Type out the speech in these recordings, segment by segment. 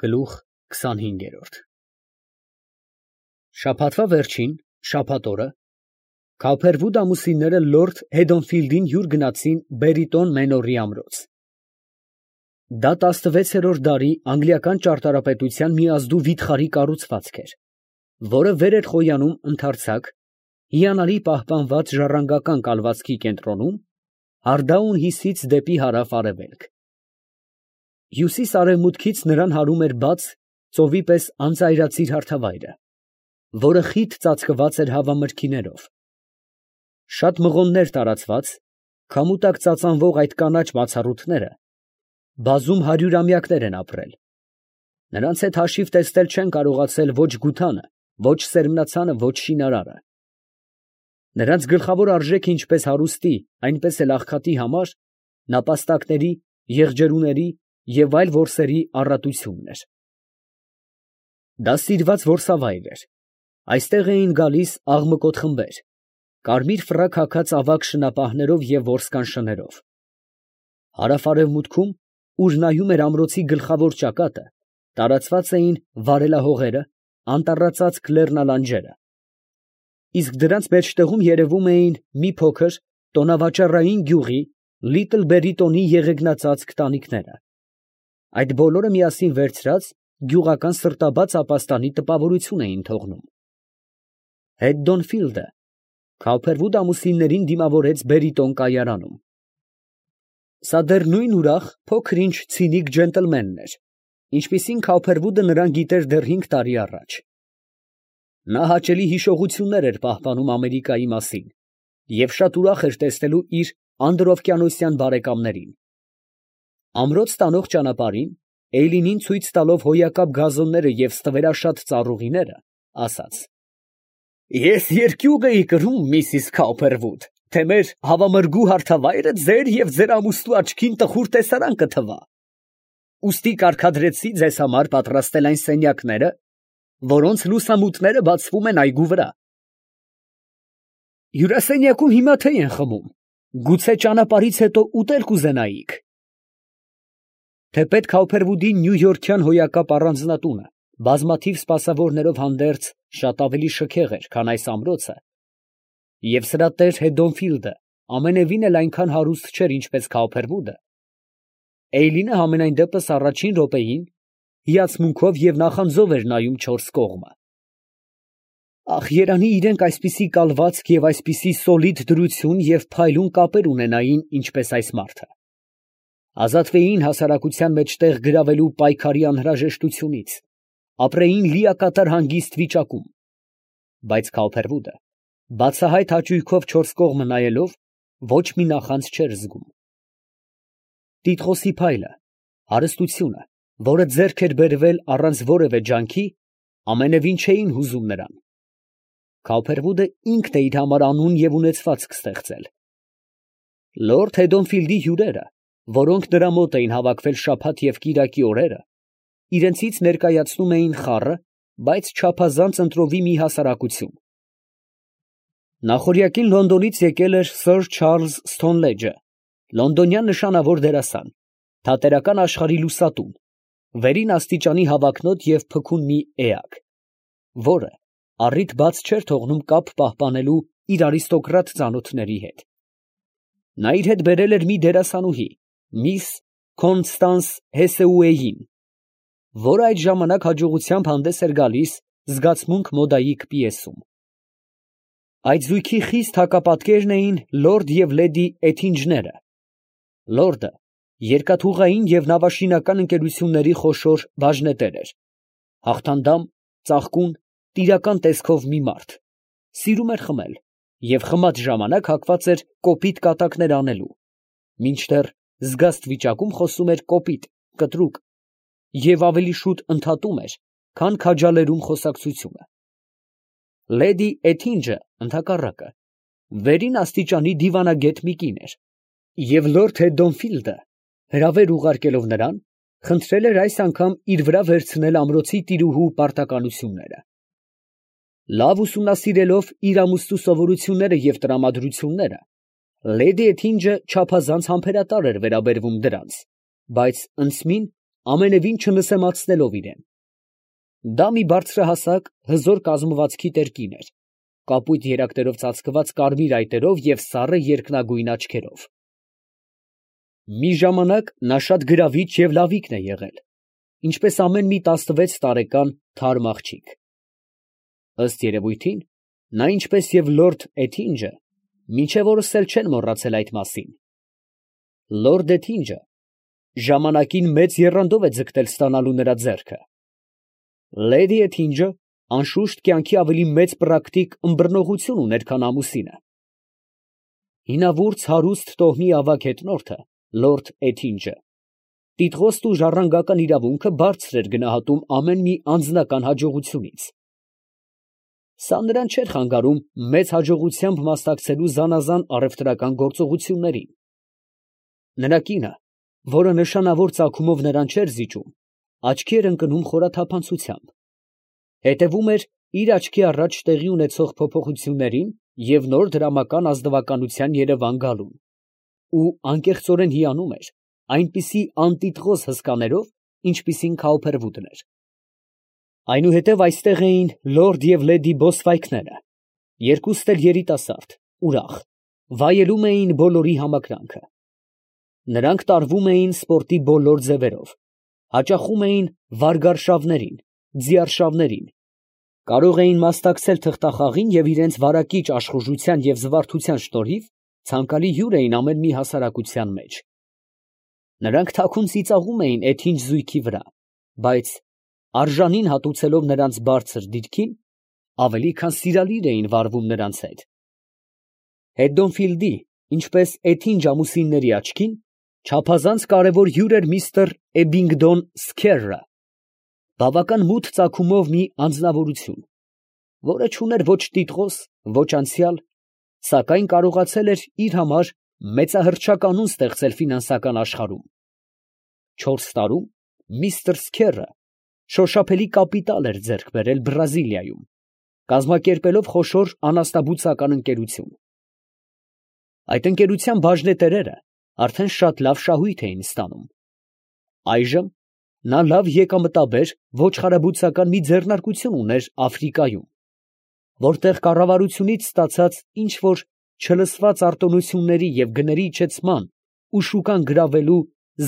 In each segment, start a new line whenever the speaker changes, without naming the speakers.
Գլուխ 25 Շաբաթվա վերջին, շաբաթ օրը, Քոփերվուդ ամուսինները լորդ Հեդոնֆիլդին հյուր գնացին Բերիտոն Մենորի ամրոց։ Դա 16-րդ դարի անգլիական ճարտարապետության մի ազդու վիթխարի կառուցվածք էր, որը վեր էր խոյանում ընդարձակ, հիանալի պահպանված ժառանգական կալվածքի կենտրոնում, Հարդաուն հյուսից դեպի հարավ արևելք։ Հյուսիս֊արևմուտքից նրան հարում էր բաց, ծովի պես անծայրածիր հարթավայրը, որը խիտ ծածկված էր հավամրգիներով։ Շատ մղոններ տարածված, քամու տակ ծածանվող այդ կանաչ բացառութները բազում հարյուրամյակներ են ապրել։ Նրանց հետ հաշիվ տեսնել չեն կարողացել ոչ Գութանը, ոչ Սերմնացանը, ոչ Շինարարը։ Նրանց գլխավոր արժեքը ինչպես հարուստի, այնպես էլ աղքատի համար նապաստակների, եղջերուների և այլ որսերի առատությունն էր։ Դա սիրված որսավայր էր։ Այստեղ էին գալիս աղմկոտ խմբեր, կարմիր ֆրակ հագած ավագ շնապահներով և որսկան շներով։ Հարավ֊արևմուտքում, ուր նայում էր ամրոցի գլխավոր ճակատը, տարածված էին վարելահողերը, անտառածածկ լեռնալանջերը, իսկ դրանց մեջտեղում երևում էին մի փոքր տոնավաճառային գյուղի Լիտլ Բերիտոնի եղեգնածածկ տանիքները։ Այդ բոլորը միասին վերցրած գյուղական սրտաբաց ապաստանի տպավորություն էին թողնում։ Հեդդոնֆիլդը Քոփերվուդ ամուսիններին դիմավորեց Բերիտոն կայարանում։ Սա դեռ նույն ուրախ, փոքր-ինչ ցինիկ ջենտլմենն էր, ինչպիսին Քոփերվուդը նրան գիտեր դեռ 5 տարի առաջ։ Նա հաճելի հիշողություններ էր պահպանում Ամերիկայի մասին և շատ ուրախ էր տեսնելու իր անդրօվկիանոսյան բարեկամներին։ Ամրոց տանող ճանապարհին, Էյլինին ցույց տալով հոյակապ գազոնները և ստվերաշատ ծառուղիները, ասաց. «Ես երկյուղ էի կրում, Միսիս Քոփերվուդ, թե մեր հավամրգու հարթավայրը ձեր և ձեր ամուսնու աչքին տխուր տեսարան կթվա։ Ուստի կարգադրեցի ձեզ համար պատրաստել այն սենյակները, որոնց լուսամուտները բացվում են այգու վրա։ Հյուրասենյակում հիմա թեյ են խմում, գուցե ճանապարհից հետո ուտել կուզենայիք»։ Թեպետ Քոփերվուդի նյույորքյան հոյակապ առանձնատունը բազմաթիվ սպասավորներով հանդերձ շատ ավելի շքեղ էր, քան այս ամրոցը, և սրա տեր Հեդոնֆիլդը ամենևին էլ այնքան հարուստ չէր, ինչպես Քոփերվուդը, Էյլինը համենայն դեպս առաջին րոպեին հիացմունքով և նախանձով էր նայում չորս կողմը։ Ախ, երանի իրենք այսպիսի կալվածք և այսպիսի սոլիդ դրություն և փայլուն կապեր ունենային, ինչպես այս մարդը, ազատվեին հասարակության մեջտեղ գրավելու պայքարի անհրաժեշտությունից, ապրեին լիակատար հանգիստ վիճակում, բայց Քոփերվուդը, բացահայտ հաճույքով չորս կողմը նայելով, ոչ մի նախանձ չէր զգում։ Տիտղոսի փայլը, հարստությունը, որը ձեռք էր բերվել առանց որևէ ջանքի, ամենևին չէին հուզում նրան։ Քոփերվուդը ինքն է իր համար անուն և ունեցվածք ստեղծել։ Լորդ Հեդոնֆիլդի հյուրերը, որոնք նրա մոտ էին հավաքվել շաբաթ և կիրակի օրերը, իրենցից ներկայացնում էին խառը, բայց չափազանց ընտրովի մի հասարակություն։ Նախօրյակին Լոնդոնից եկել էր Սըր Չարլզ Սթոնլեջը, լոնդոնյան նշանավոր դերասան, թատերական աշխարհի լուսատուն, վերին աստիճանի հավակնոտ և փքուն մի էակ, որը առիթ բաց չէր թողնում կապ պահպանելու իր արիստոկրատ ծանոթների հետ։ Նա իր հետ բերել էր մի դերասանուհի, միս Կոնստանս Հեսեուեյին, որը այդ ժամանակ հաջողությամբ հանդես էր գալիս «Զգացմունք» մոդայիկ պիեսում։ Այդ զույգի խիստ հակապատկերն էին լորդ և լեդի Էթինջները։ Լորդը երկաթուղային և նավաշինական ընկերությունների խոշոր բաժնետեր էր, հաղթանդամ, ծաղկուն, տիրական տեսքով մի մարդ, սիրում էր խմել և խմած ժամանակ հակված էր կոպիտ կատակներ անելու, մինչդեռ զգաստ վիճակում խոսում էր կոպիտ, կտրուկ և ավելի շուտ ընդհատում էր, քան քաջալերում խոսակցությունը։ Լեդի Էթինջը, ընդհակառակը, վերին աստիճանի դիվանագետ մի կին էր, և լորդ Հեդոնֆիլդը, հրավեր ուղարկելով նրան, խնդրել էր այս անգամ իր վրա վերցնել ամրոցի տիրուհու պարտականությունները։ Լավ ուսումնասիրելով իր ամուսնու սովորությունները և տրամադրությունները, լեդի Էթինջը չափազանց համբերատար էր վերաբերվում դրանց, բայց ընդսմին ամենևին չնսեմացնելով իրեն։ Դա մի բարձրահասակ, հզոր կազմվածքի տերկին էր, կապույտ երակներով ծածկված կարմիր այտերով և սառը երկնագույն աչքերով։ Մի ժամանակ նա շատ գրավիչ և լավիկն է եղել, ինչպես ամեն մի 16 տարեկան թարմ աղջիկ։ Ըստ երևույթին, նա ինչպես և լորդ Էթինջը, մինչև օրս էլ չեն մոռացել այդ մասին։ Լորդ Էթինջը ժամանակին մեծ եռանդով է ձգտել ստանալու նրա ձեռքը։ Լեդի Էթինջը, անշուշտ, կյանքի ավելի մեծ պրակտիկ ըմբռնողություն ուներ, քան ամուսինը։ Հինավուրց հարուստ տոհմի ավագ հետնորդը, լորդ Էթինջը, տիտղոստ ու ժառանգական իրավունքը բարձր էր գնահատում ամեն մի անձնական հաջողությունից։ Սա նրան չէր խանգարում մեծ հաջողությամբ մասնակցելու զանազան առևտրական գործողություններին։ Նրա կինը, որը նշանավոր ծագումով նրան չէր զիջում, աչքի էր ընկնում խորաթափանցությամբ, հետևում էր իր աչքի առաջ տեղի ունեցող փոփոխություններին և նոր դրամական ազնվականության երևան գալուն, ու անկեղծորեն հիանում էր այնպիսի անտիտղոս հսկաներով, ինչպիսին Քաուփերվուդն էր։ Այնուհետև այստեղ էին լորդ և լեդի Բոսվայքները, երկուստ էլ երիտասարդ, ուրախ, վայելում էին բոլորի համակրանքը։ Նրանք տարվում էին սպորտի բոլոր ձևերով, հաճախում էին վարգարշավներին, ձիարշավներին, կարող էին մասնակցել թղթախաղին և իրենց վարակիչ աշխուժության և զվարթության շնորհիվ ցանկալի հյուր էին ամեն մի հասարակության մեջ։ Նրանք թաքուն ծիծաղում էին էթինչ զույգի վրա, բայց արժանին հատուցելով նրանց բարձր դիրքին, ավելի քան սիրալիր էին վարվում նրանց հետ։ Հեդոնֆիլդի, ինչպես էթինչ ամուսինների աչքին, չափազանց կարևոր հյուր էր միստր Էբինգդոն Սքերրը, բավական մութ ծագումով մի անձնավորություն, որը չուներ ոչ տիտղոս, ոչ անցյալ, սակայն կարողացել էր իր համար մեծահռչակ անուն ստեղծել ֆինանսական աշխարհում։ 4 տարում միստր Սքերրը շոշափելի կապիտալ էր ձեռք բերել Բրազիլիայում, կազմակերպելով խոշոր անասնաբուծական ընկերություն։ Այդ ընկերության բաժնետերերը արդեն շատ լավ շահույթ էին ստանում։ Այժմ նա լավ եկամտաբեր ոչխարաբուծական մի ձեռնարկություն ուներ Աֆրիկայում, որտեղ կառավարությունից ստացած ինչ որ չլսված արտոնությունների և գների իջեցման ու շուկան գրավելու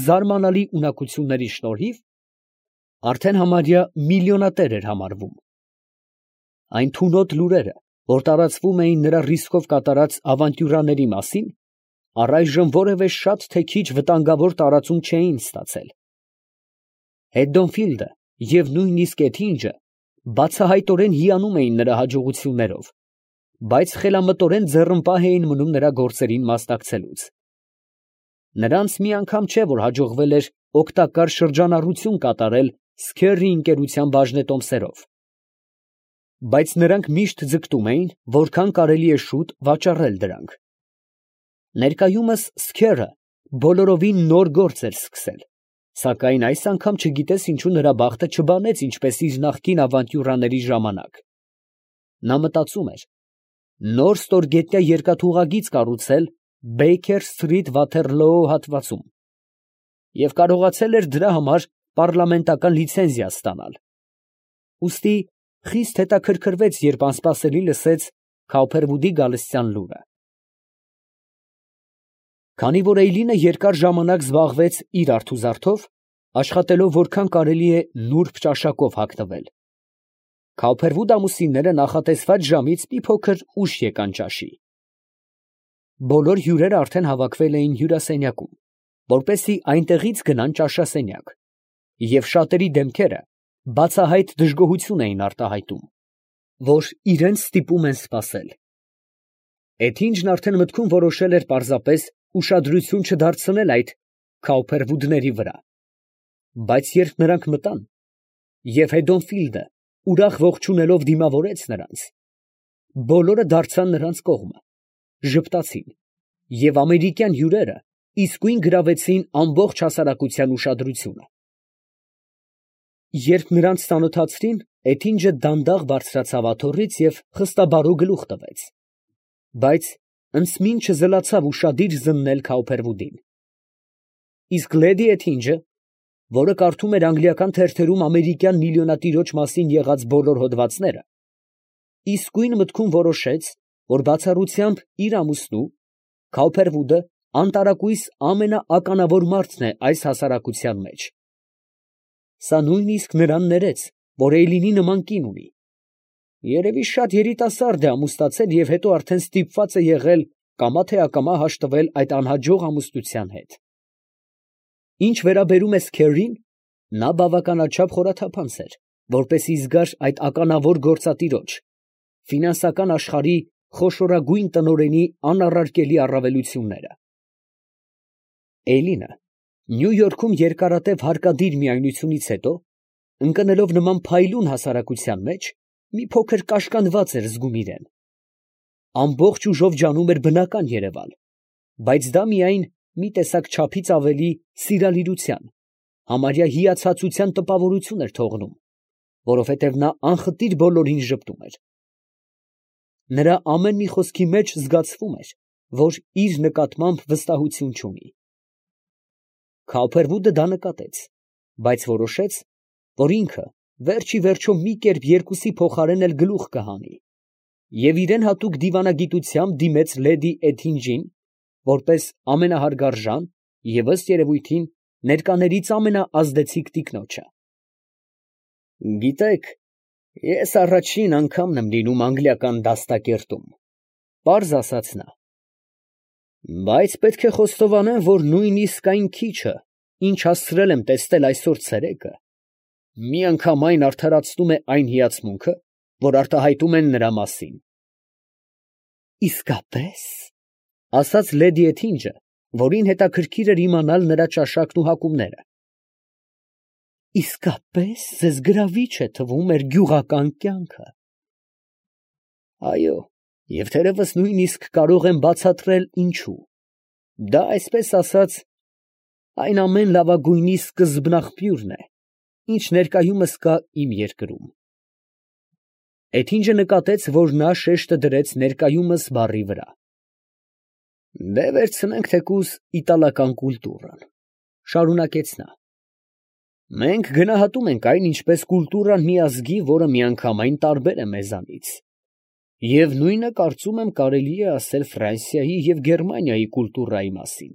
զարմանալի ունակությունների շնորհիվ արդեն համարյա միլիոնատեր էր համարվում։ Այն թունոտ լուրերը, որ տարածվում էին նրա ռիսկով կատարած ավանտյուրաների մասին, առայժմ որևէ շատ թե քիչ վտանգավոր տարածում չէին ստացել։ Հեդոնֆիլդը և նույնիսկ Էթինջը բացահայտորեն հիանում էին նրա հաջողություններով, բայց խելամտորեն ձեռնպահ էին մնում նրա գործերին մասնակցելուց։ Նրանց մի անգամ չէ, որ հաջողվել էր օգտակար շրջանառություն կատարել Սքերրի ընկերության բաժնետոմսերով, բայց նրանք միշտ ձգտում էին, որքան կարելի է շուտ վաճառել դրանք։ Ներկայումս Սքերրը բոլորովին նոր գործ էր սկսել, սակայն այս անգամ չգիտես ինչու նրա բախտը չբանեց ինչպես իր նախկին ավանտյուրաների ժամանակ։ Նա մտածում էր նոր ստորգետնյա երկաթուղագիծ կառուցել Բեյքեր Սթրիթ Վաթերլոո հատվածում և կարողացել էր դրա համար պառլամենտական լիցենզիա ստանալ։ Ուստի խիստ հետաքրքրվեց, երբ անսպասելի լսեց Քաուփերվուդի գալստյան լուրը։ Քանի որ Էյլինը երկար ժամանակ զբաղվեց իր արթուզարդով, աշխատելով որքան կարելի է նուրբ ճաշակով հագնվել, Քաուփերվուդ ամուսինները նախատեսված ժամից մի փոքր ուշ եկան ճաշի։ Բոլոր հյուրերը արդեն հավաքվել էին հյուրասենյակում, որպեսզի այնտեղից գնան ճաշասենյակ, և շատերի դեմքերը բացահայտ դժգոհություն էին արտահայտում, որ իրենց ստիպում են սպասել։ Էթինջն արդեն մտքում որոշել էր պարզապես ուշադրություն չդարձնել այդ Քաուփերվուդների վրա, բայց երբ նրանք մտան, և Հեդոնֆիլդը ուրախ ողջունելով դիմավորեց նրանց, բոլորը դարձան նրանց կողմը, ժպտացին, և ամերիկյան հյուրերը իսկույն գրավեցին ամբողջ հասարակության ուշադրությունը։ Երբ նրանց ծանոթացրին, Էթինջը դանդաղ բարձրացավ աթոռից և խստաբարո գլուխ տվեց, բայց ընծմին չզլացավ ուշադիր զննել Քաուփերվուդին։ Իսկ լեդի Էթինջը որը կարդում էր անգլիական թերթերում ամերիկյան միլիոնատիրոջ մասին եղած բոլոր հոդվածները, իսկույն մտքում որոշեց, որ բացառությամբ իր ամուսնու, Քաուփերվուդը անտարակույս ամենաականավոր մարդն է այս հասարակության մեջ։ Սա նույնիսկ նրան ներեց, որ Էյլինի նման կին ունի։ Երևի շատ երիտասարդ է ամուսնացել և հետո արդեն ստիպված է եղել կամա թե ակամա հաշտվել այդ անհաջող ամուսնության հետ։ Ինչ վերաբերում է Սքերրին, նա բավականաչափ խորաթափանց էր, որպեսզի զգար այդ ականավոր գործատիրոջ, ֆինանսական աշխարհի խոշորագույն տնօրենի անառարկելի առավելությունները։ Էյլինը Նյու Յորքում երկարատև հարկադիր միայնությունից հետո, ընկնելով նման փայլուն հասարակության մեջ, մի փոքր կաշկանդված էր զգում իրեն։ Ամբողջ ուժով ջանում էր բնական Երևալ, բայց դա միայն մի տեսակ չափից ավելի սիրալիրության, համարյա հիացածության տպավորություն էր թողնում, որովհետև նա անխտիր բոլորին ժպտում էր։ Նրա ամեն մի խոսքի մեջ զգացվում էր, որ իր նկատմամբ վստահություն չունի։ Քաուփերվուդը դա նկատեց, բայց որոշեց, որ ինքը վերջ ի վերջո մի կերպ երկուսի փոխարեն էլ գլուխ կհանի, և իրեն հատուկ դիվանագիտությամբ դիմեց լեդի Էթինջին, որպես ամենահարգարժան և ըստ երևույթին ներկաներից ամենաազդեցիկ տիկնոջը։ Գիտեք, ես առաջին անգամն եմ լինում անգլիական դաստակերտում, պարզ ասաց նա, բայց պետք է խոստովանեմ, որ նույնիսկ այն քիչը, ինչ հասցրել եմ տեսնել այսօր ցերեկը, միանգամայն արդարացնում է այն հիացմունքը, որ արտահայտում են նրա մասին։ Իսկապես, ասաց լեդի Էթինջը, որին հետաքրքիր էր իմանալ նրա ճաշակն ու հակումները։ Իսկապես ձեզ գրավիչ է թվում մեր գյուղական կյանքը։ Այո, և թերևս նույնիսկ կարող եմ բացատրել ինչու։ Դա, այսպես ասած, այն ամեն լավագույնի սկզբնաղբյուրն է, ինչ ներկայումս կա իմ երկրում։ Էթինջը նկատեց, որ նա շեշտը դրեց ներկայումս բառի վրա։ Դե վերցնենք թեկուզ իտալական կուլտուրան, շարունակեց նա։ Մենք գնահատում ենք այն, ինչպես կուլտուրան մի ազգի, որը միանգամայն տարբեր է մեզանից։ Եվ նույնը կարծում եմ կարելի է ասել Ֆրանսիայի և Գերմանիայի կուլտուրայի մասին։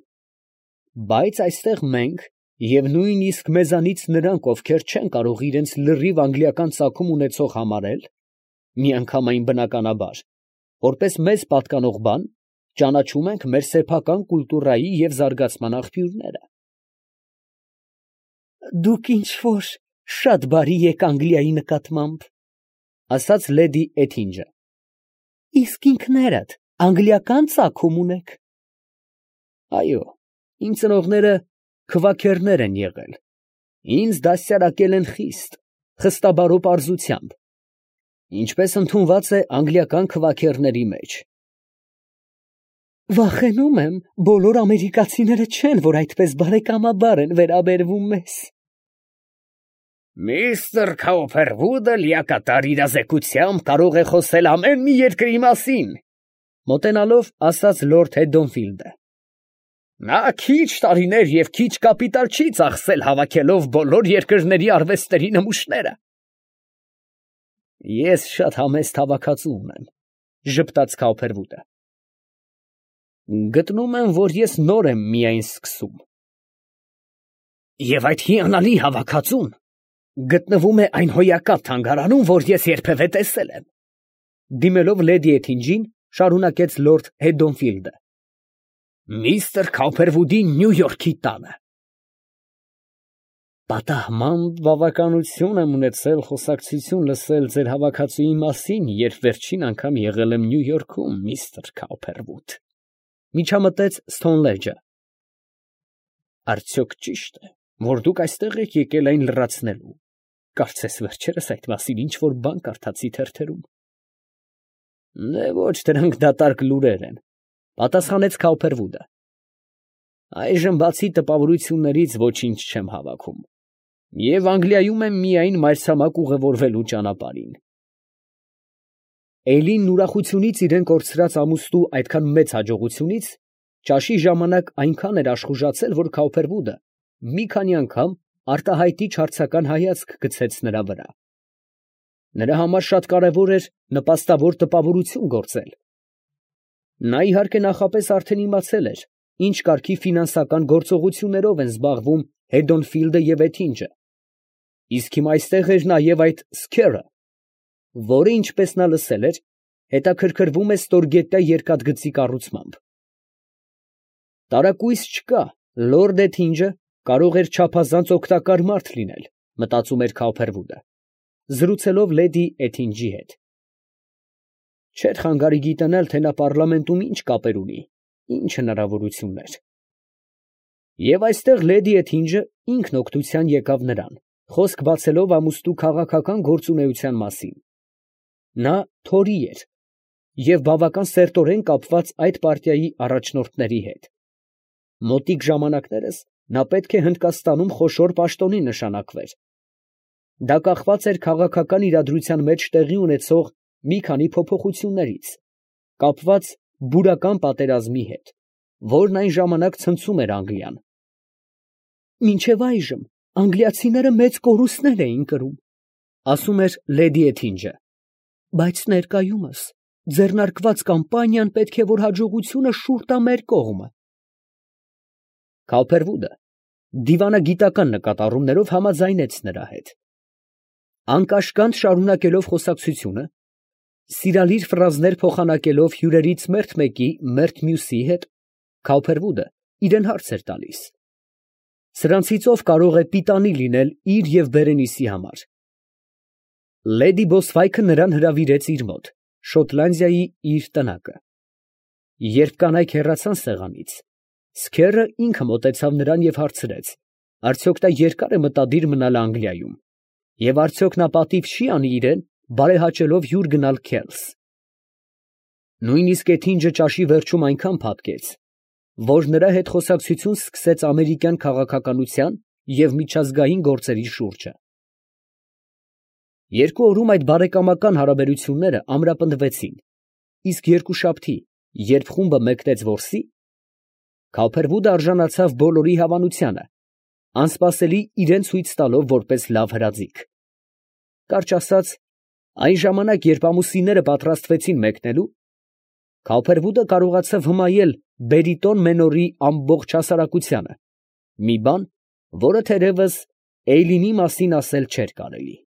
Բայց այստեղ մենք, և նույնիսկ մեզանից նրանք, ովքեր չեն կարող իրենց լրիվ անգլիական ծագում ունեցող համարել, միանգամայն բնականաբար, որպես մեզ պատկանող բան, ճանաչում ենք մեր սեփական կուլտուրայի և զարգացման աղբյուրները։ Դուք ինչ֊որ շատ բարի եք Անգլիայի նկատմամբ, ասաց լեդի Էթինջը։ Իսկ ինքներդ անգլիական ծագում ունեք։ Այո, իմ ծնողները քվաքերներ են եղել, ինձ դաստիարակել են խիստ, խստաբարո պարզությամբ, ինչպես ընդունված է անգլիական քվաքերների մեջ։ Վախենում եմ, բոլոր ամերիկացիները չեն, որ այդպես բարեկամաբար են վերաբերվում մեզ։ Միստր Քաուփերվուդը լիակատար իրազեկությամբ կարող է խոսել ամեն մի երկրի մասին, մոտենալով ասաց լորդ Հեդոնֆիլդը։ Նա քիչ տարիներ և քիչ կապիտալ չի ծախսել հավաքելով բոլոր երկրների արվեստների նմուշները։ Ես շատ համեստ հավաքածու ունեմ, ժպտաց Քաուփերվուդը։ Գտնում եմ, որ ես նոր եմ միայն սկսում։ Եվ այդ հիանալի հավաքածուն գտնվում է այն հոյակապ թանգարանում, որ ես երբևէ տեսել եմ։ Դիմելով լեդի Էթինջին, շարունակեց լորդ Հեդոնֆիլդը։ Միստր Քաուփերվուդի Նյու Յորքի տանը։ Պատահման բավականություն եմ ունեցել խոսակցություն լսել ձեր հավաքածուի մասին, երբ վերջին անգամ եղել եմ Նյու Յորքում, միստր Քաուփերվուդ, միջամտեց Սթոնլեջը։ Արդյոք ճիշտ է, որ դուք այստեղ եք եկել այն լրացնելու։ Կարծես վերջերս այդ մասին ինչ-որ բան կարդացի թերթերում։ Դե ոչ, դրանք դատարկ լուրեր են, պատասխանեց Քաուփերվուդը։ Այժմ բացի տպավորություններից ոչինչ չեմ հավաքում, և Անգլիայում եմ միայն մայրցամաք ուղևորվելու ճանապարհին։ Էյլինն ուրախությունից իրեն կորցրած ամուսնու այդքան մեծ հաջողությունից ճաշի ժամանակ այնքան էր աշխուժացել, որ Քաուփերվուդը մի քանի անգամ արտահայտիչ հարցական հայացք գցեց նրա վրա։ Նրա համար շատ կարևոր էր նպաստավոր տպավորություն գործել։ Նա իհարկե նախապես արդեն իմացել էր, ինչ կարգի ֆինանսական գործողություններով են զբաղվում Հեդոնֆիլդը և Էթինջը, իսկ հիմա այստեղ էր նաև այդ Սքերը, որը, ինչպես նա լսել էր, հետաքրքրվում է ստորգետնյա երկաթգծի կառուցմամբ։ Տարակույս չկա, լորդ Էթինջը կարող էր չափազանց օգտակար մարդ լինել, մտածում էր Քոփերվուդը, զրուցելով լեդի Էթինջի հետ։ Չէր խանգարի գիտենալ, թե նա պառլամենտում ինչ կապեր ունի, ինչ հնարավորություններ։ Եվ այստեղ լեդի Էթինջը ինքն օգնության եկավ նրան, խոսք բացելով ամուսնու քաղաքական գործունեության մասին։ Նա Թորի էր և բավական սերտորեն կապված այդ պարտիայի առաջնորդների հետ։ Մոտիկ ժամանակներս նա պետք է Հնդկաստանում խոշոր պաշտոնի նշանակվեր։ Դա կախված էր քաղաքական իրադրության մեջ տեղի ունեցող մի քանի փոփոխություններից, կապված բուրական պատերազմի հետ, որն այն ժամանակ ցնցում էր Անգլիան։ Մինչև այժմ անգլիացիները մեծ կորուստներ էին կրում, ասում էր լեդի Էթինջը, բայց ներկայումս ձեռնարկված կամպանիան պետք է որ հաջողությունը շուռ տա մեր կողմը։ Քոփերվուդը դիվանագիտական նկատառումներով համաձայնեց նրա հետ։ Անկաշկանդ շարունակելով խոսակցությունը, սիրալիր ֆրազներ փոխանակելով հյուրերից մերթ մեկի մերթ մյուսի հետ, Քոփերվուդը իրան հարց էր տալիս. սրանցից ով կարող է պիտանի լինել իր և Բերենիսի համար։ Լեդի Բոսվայքը նրան հրավիրեց իր մոտ, Շոտլանդիայի իր տնակը։ Երբ կանայք հեռացան սեղանից, Սքերը ինքը մոտեցավ նրան և հարցրեց, արդյոք նա երկար է մտադիր մնալ Անգլիայում, և արդյոք նա պատիվ չի անի իրան, բարեհաճելով հյուր գնալ Քելս։ Նույնիսկ Էթինջը ճաշի վերջում այնքան փաթքեց, որ նրա հետ խոսակցություն սկսեց ամերիկյան քաղաքականության և միջազգային գործերի շուրջը։ Երկու օրում այդ բարեկամական հարաբերությունները ամրապնդվեցին, իսկ երկուշաբթի, երբ խումբը մեկնեց որսի, Քոփերվուդը արժանացավ բոլորի հավանությանը, անսպասելի իրան ցույց տալով որպես լավ հրաձիգ։ Կարճ ասած, այն ժամանակ, երբ ամուսինները պատրաստվեցին մեկնելու, Քոփերվուդը կարողացավ հմայել բերիտոն մենորի ամբողջ հասարակությանը, մի բան, որը թերևս Էյլինի մասին ասել չէր կարելի։